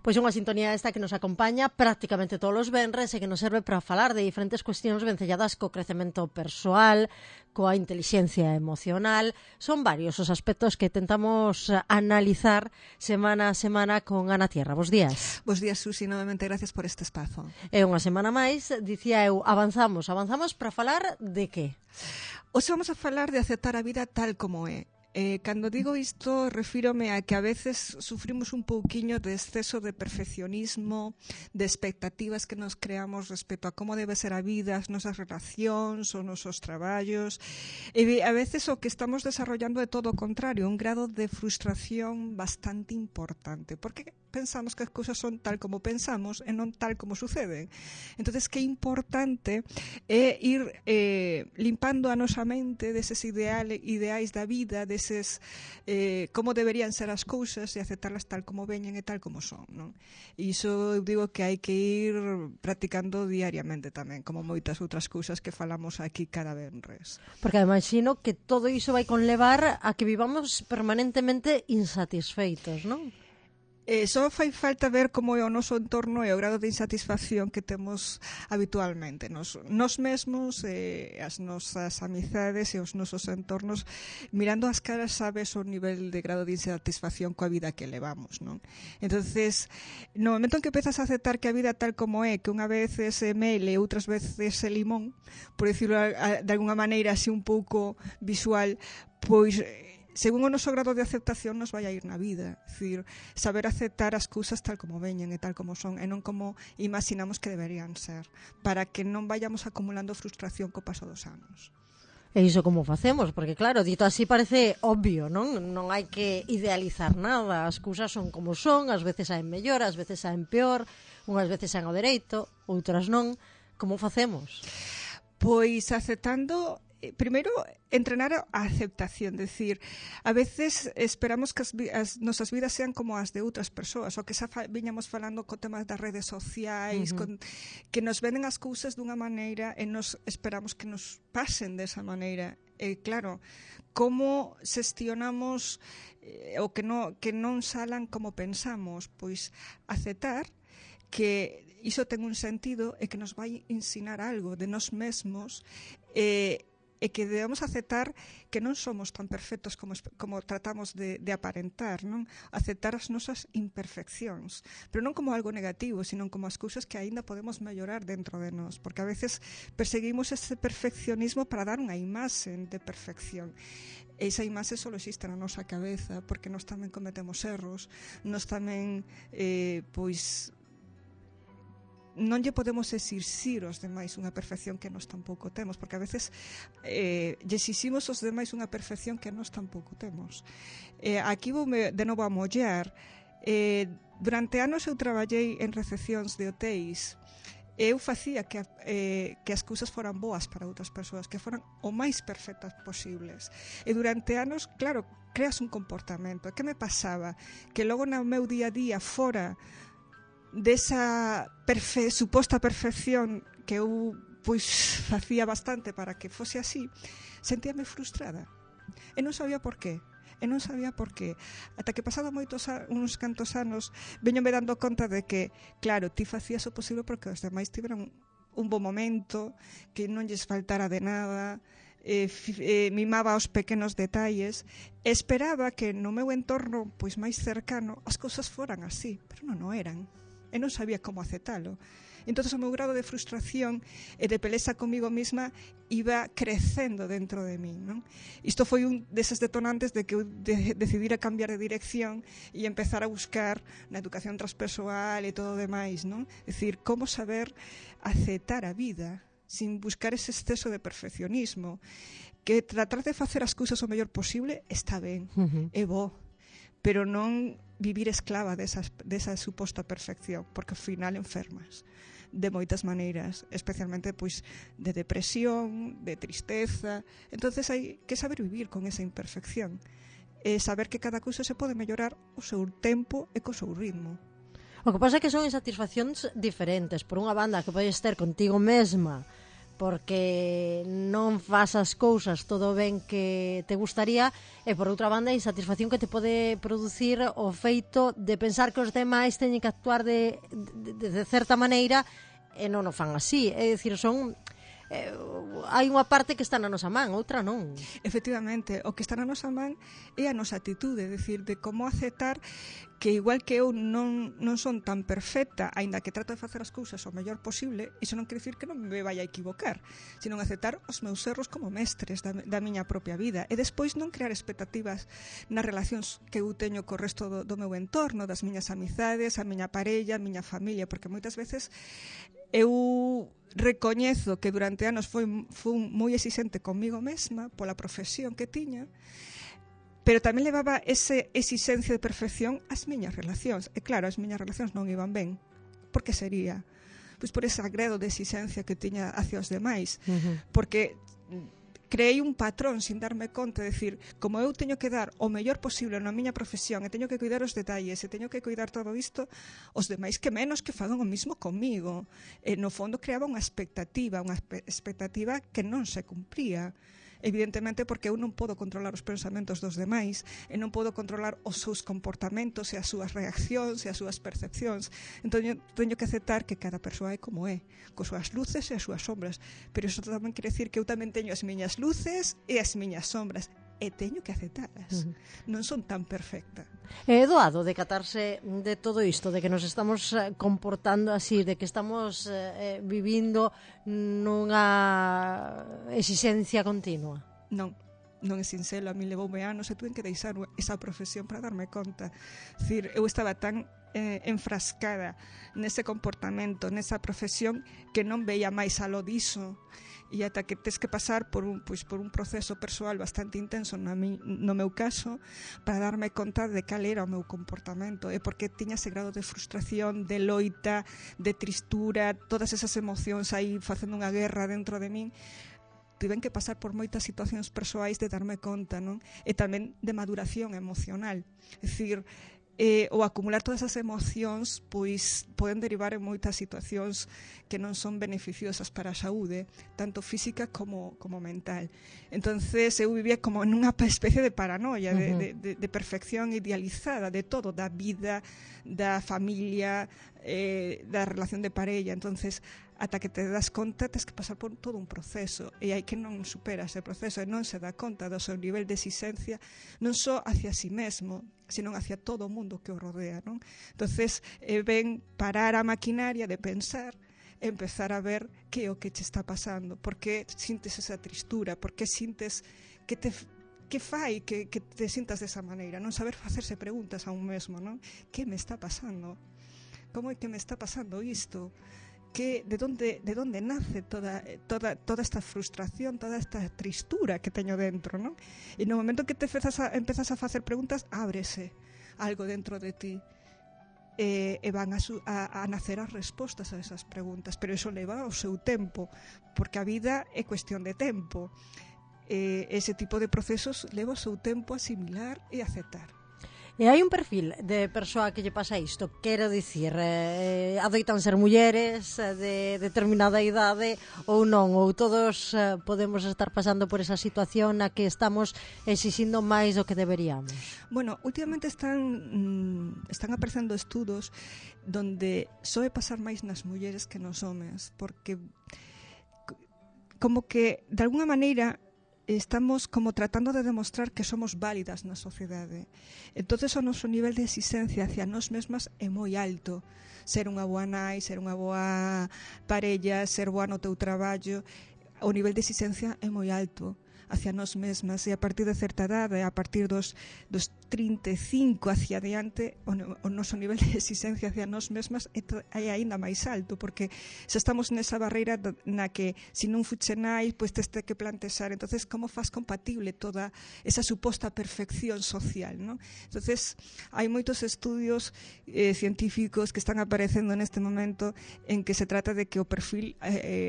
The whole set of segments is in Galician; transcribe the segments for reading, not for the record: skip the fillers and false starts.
Pois unha sintonía esta que nos acompaña prácticamente todos os venres e que nos serve para falar de diferentes cuestións vencelladas co crecemento persoal, coa inteligencia emocional. Son varios os aspectos que tentamos analizar semana a semana con Ana Tierra. Bos días. Bos días, Susi, novamente gracias por este espazo. É unha semana máis, dicía eu, avanzamos para falar de que? Hoxe vamos a falar de aceptar a vida tal como é. Cando digo isto, refírome a que a veces sufrimos un pouquiño de exceso de perfeccionismo, de expectativas que nos creamos respecto a como debe ser a vida, as nosas relacións, os nosos traballos, e a veces o que estamos desarrollando é todo o contrario, un grado de frustración bastante importante, porque pensamos que as cousas son tal como pensamos e non tal como suceden. Entonces, que importante é ir limpando a nosa mente deses ideais da vida, deses como deberían ser as cousas e aceptarlas tal como veñen e tal como son, non? E iso eu digo que hai que ir practicando diariamente tamén, como moitas outras cousas que falamos aquí cada venres. Porque imagino que todo iso vai conlevar a que vivamos permanentemente insatisfeitos, non? Só fai falta ver como é o noso entorno e o grado de insatisfacción que temos habitualmente. Nos mesmos, as nosas amizades e os nosos entornos, mirando as caras sabes o nivel de grado de insatisfacción coa vida que levamos, non? Entonces, no momento en que empezas a aceptar que a vida tal como é, que unha vez é mel e outras veces é limón, por dicirlo de alguna maneira así un pouco visual, pois según o noso grado de aceptación nos vai a ir na vida. É dicir, saber aceptar as cousas tal como veñen e tal como son e non como imaginamos que deberían ser, para que non vayamos acumulando frustración co paso dos anos. E iso como facemos? Porque claro, dito así parece obvio, non? Non hai que idealizar nada, as cousas son como son, ás veces saen mellor, ás veces saen peor, unhas veces saen ao dereito, outras non. Como facemos? Pois aceptando, primeiro, entrenar a aceptación, decir, a veces esperamos que as nosas vidas sean como as de outras persoas, o que xa viñamos falando co tema das redes sociais, que nos venden as cousas dunha maneira e nos esperamos que nos pasen desa maneira. E claro, como xestionamos o que non salan como pensamos? Pois aceptar que iso ten un sentido e que nos vai ensinar algo de nós mesmos e que debemos aceptar que non somos tan perfectos como tratamos de aparentar, non? Aceptar as nosas imperfeccións, pero non como algo negativo, sino como as cousas que aínda podemos mellorar dentro de nós, porque a veces perseguimos ese perfeccionismo para dar unha imaxe de perfección. Esa imaxe só existe na nosa cabeza, porque nós tamén cometemos erros, nós tamén, pois, non lle podemos exixir aos demais unha perfección que nós tampouco temos, porque a veces lle exiximos aos demais unha perfección que nós tampouco temos. Aquí voume de novo a mollar. Durante anos eu traballei en recepcións de hotéis. Eu facía que as cousas foran boas para outras persoas, que foran o máis perfectas posibles. E durante anos, claro, creas un comportamento. Que me pasaba? Que logo no meu día a día fora desa suposta perfección que eu pois facía bastante para que fose así, sentíame frustrada e non sabía por qué. Ata que pasado uns cantos anos veñome dando conta de que, claro, ti facías o posible porque os demais tiveran un bo momento, que non lles faltara de nada, mimaba os pequenos detalles, esperaba que no meu entorno pois máis cercano as cousas foran así, pero non o eran. E non sabía como aceptalo. Entón, o meu grado de frustración e de peleza comigo mesma iba crecendo dentro de min, non? Isto foi un deses detonantes de que eu decidira cambiar de dirección e empezar a buscar na educación transpersoal e todo o demais, non? É dicir, como saber aceptar a vida sin buscar ese exceso de perfeccionismo, que tratar de facer as cousas o mellor posible está ben, é bo, pero non vivir esclava desa suposta perfección, porque ao final enfermas de moitas maneiras, especialmente pois de depresión, de tristeza. Entonces hai que saber vivir con esa imperfección e saber que cada cousa se pode mellorar o seu tempo e co seu ritmo. O que pasa é que son insatisfaccións diferentes. Por unha banda que podes ter contigo mesma porque non faz as cousas todo ben que te gustaría, e por outra banda a insatisfacción que te pode producir o feito de pensar que os demais teñen que actuar de certa maneira e non o fan así. É dicir, son hai unha parte que está na nosa man, outra non. Efectivamente, o que está na nosa man é a nosa atitude, é dicir, de como aceptar que igual que eu non son tan perfecta, aínda que trato de facer as cousas o mellor posible, iso non quere dicir que non me vai a equivocar, sino aceptar os meus erros como mestres da miña propia vida, e despois non crear expectativas nas relacións que eu teño co resto do meu entorno, das miñas amizades, a miña parella, a miña familia, porque moitas veces eu recoñezo que durante anos fui moi exixente comigo mesma pola profesión que tiña, pero tamén levaba esa exixencia de perfección ás miñas relacións. E claro, as miñas relacións non iban ben. Por que sería? Pois por ese agrado de exixencia que tiña hacia os demais. Porque creei un patrón sin darme conta, de decir, como eu teño que dar o mellor posible na miña profesión, e teño que cuidar os detalles, e teño que cuidar todo isto, os demais que menos que fagan o mismo comigo. E no fondo creaba unha expectativa que non se cumpría. Evidentemente porque eu non podo controlar os pensamentos dos demais, e non podo controlar os seus comportamentos e as súas reaccións e as súas percepcións. Entón eu teño que aceptar que cada persoa é como é, cos súas luces e as súas sombras, pero iso tamén quere decir que eu tamén teño as miñas luces e as miñas sombras, e teño que aceptalas. Non son tan perfecta. É doado decatarse de todo isto, de que nos estamos comportando así, de que estamos vivindo nunha exixencia continua. Non é sinxelo, a mí levoume anos e tuve que deixar esa profesión para darme conta. Decir, eu estaba tan enfrascada nese comportamento, nesa profesión, que non veía máis aló diso, e ata que tes que pasar por un proceso persoal bastante intenso no meu caso, para darme conta de cal era o meu comportamento, e porque tiña ese grado de frustración, de loita, de tristura, todas esas emocións aí facendo unha guerra dentro de min. Tiven que pasar por moitas situacións persoais de darme conta, non? E tamén de maduración emocional. É dicir, o acumular todas as emocións pois poden derivar en moitas situacións que non son beneficiosas para a saúde, tanto física como mental. Entonces eu vivía como en unha especie de paranoia, de perfección idealizada de todo, da vida, da familia, da relación de parella. Entonces, ata que te das conta, tens que pasar por todo un proceso, e hai que non supera ese proceso e non se dá conta do seu nivel de exigencia, non só hacia si mesmo, sino hacia todo o mundo que o rodea, non? Entonces, ven parar a maquinaria de pensar, empezar a ver que é o que che está pasando, por que sintes esa tristura, por que sintes que fai que te sintas desa maneira, non saber facerse preguntas a un mesmo, non? Que me está pasando? Como é que me está pasando isto? De onde nace toda esta frustración, toda esta tristura que teño dentro, non? E no momento que te empezas a facer preguntas, ábrese algo dentro de ti, e van a nacer as respostas a esas preguntas, pero iso leva o seu tempo, porque a vida é cuestión de tempo. Ese tipo de procesos leva o seu tempo a asimilar e aceptar. E hai un perfil de persoa que lle pasa isto, quero dicir, adoitan ser mulleres de determinada idade ou non, ou todos podemos estar pasando por esa situación na que estamos exixindo máis do que deberíamos. Bueno, últimamente están aparecendo estudos donde soe pasar máis nas mulleres que nos homes, porque como que de alguna maneira estamos como tratando de demostrar que somos válidas na sociedade. Entonces o noso nivel de exigencia hacia nós mesmas é moi alto. Ser unha boa nai, ser unha boa parella, ser boa no teu traballo, o nivel de exigencia é moi alto hacia nós mesmas, e a partir de certa idade, a partir dos 35 hacia adiante, o noso nivel de exigencia hacia nós mesmas é aínda máis alto, porque xa estamos nesa barreira na que se non fuche nai, pois tes que plantexar, entonces como faz compatible toda esa suposta perfección social, non? Entonces hai moitos estudios científicos que están aparecendo neste momento en que se trata de que o perfil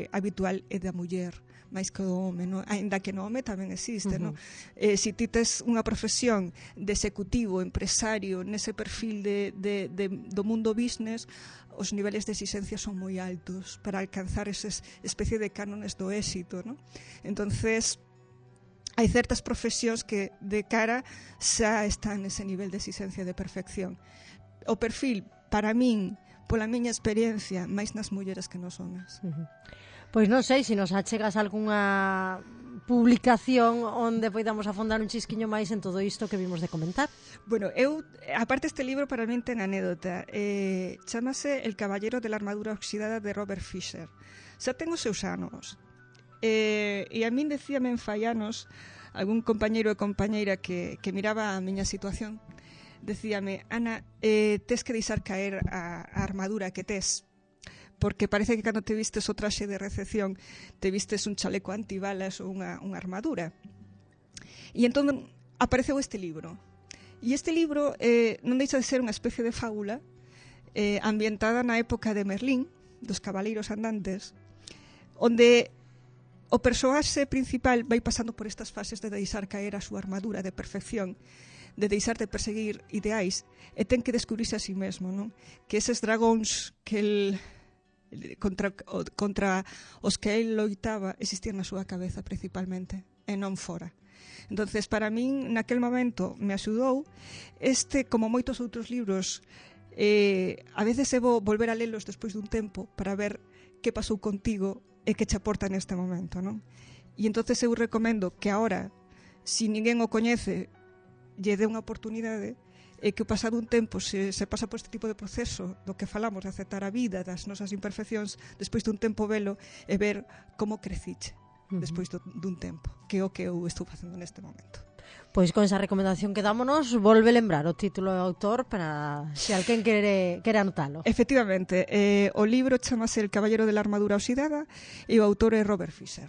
habitual é da muller máis que o home, non? Ainda que no home tamén existe, non? Se ti tes unha profesión de executivo, empresario, nese perfil do mundo business, os niveles de exigencia son moi altos para alcanzar esas especie de cánones do éxito, ¿no? Entonces, hai certas profesións que de cara xa están nese nivel de exigencia de perfección. O perfil, para min, pola miña experiencia, máis nas mulleres que nos homes. Pois non sei se nos achegas algunha publicación onde poidamos afondar un chisquiño máis en todo isto que vimos de comentar. Bueno, aparte este libro para min ten anécdota. Chámase El caballero de la armadura oxidada de Robert Fisher. Xa ten os seus anos. E a min decíame en fai anos algún compañeiro e compañeira que miraba a miña situación, decíame: Ana, tes que deixar caer a armadura que tes, porque parece que cando te vistes o traxe de recepción te vistes un chaleco antibalas ou unha armadura. E entón apareceu este libro. E este libro non deixa de ser unha especie de fábula ambientada na época de Merlín, dos cabaleiros andantes, onde o persoaxe principal vai pasando por estas fases de deixar caer a súa armadura de perfección, de deixar de perseguir ideais, e ten que descubrirse a sí mesmo, non? Que eses dragóns que contra os que el loitaba existían na súa cabeza principalmente, e non fora. Entonces, para min, naquel momento, me axudou como moitos outros libros, a veces debo volver a lelos despois dun tempo para ver que pasou contigo e que che aporta neste momento, non? E entonces eu recomendo que ahora, se ninguén o coñece, lle dé unha oportunidade, e que pasado un tempo se pasa por este tipo de proceso do que falamos, de aceptar a vida, das nosas imperfeccións, despois dun tempo velo e ver como creciche despois dun tempo, que é o que eu estou facendo neste momento. Pois con esa recomendación que dámonos, volve lembrar o título do autor para se alguén quere anotalo. Efectivamente, o libro chamase El caballero de la armadura oxidada e o autor é Robert Fisher.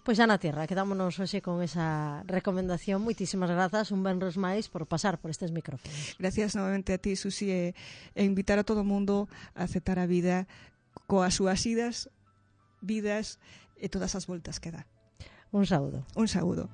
Pois xa na tierra, quedámonos hoxe con esa recomendación. Moitísimas grazas, un venres máis por pasar por estes micrófonos. Gracias novamente a ti, Susi, e invitar a todo o mundo a aceptar a vida coas súas vidas e todas as voltas que dá. Un saúdo. Un saúdo.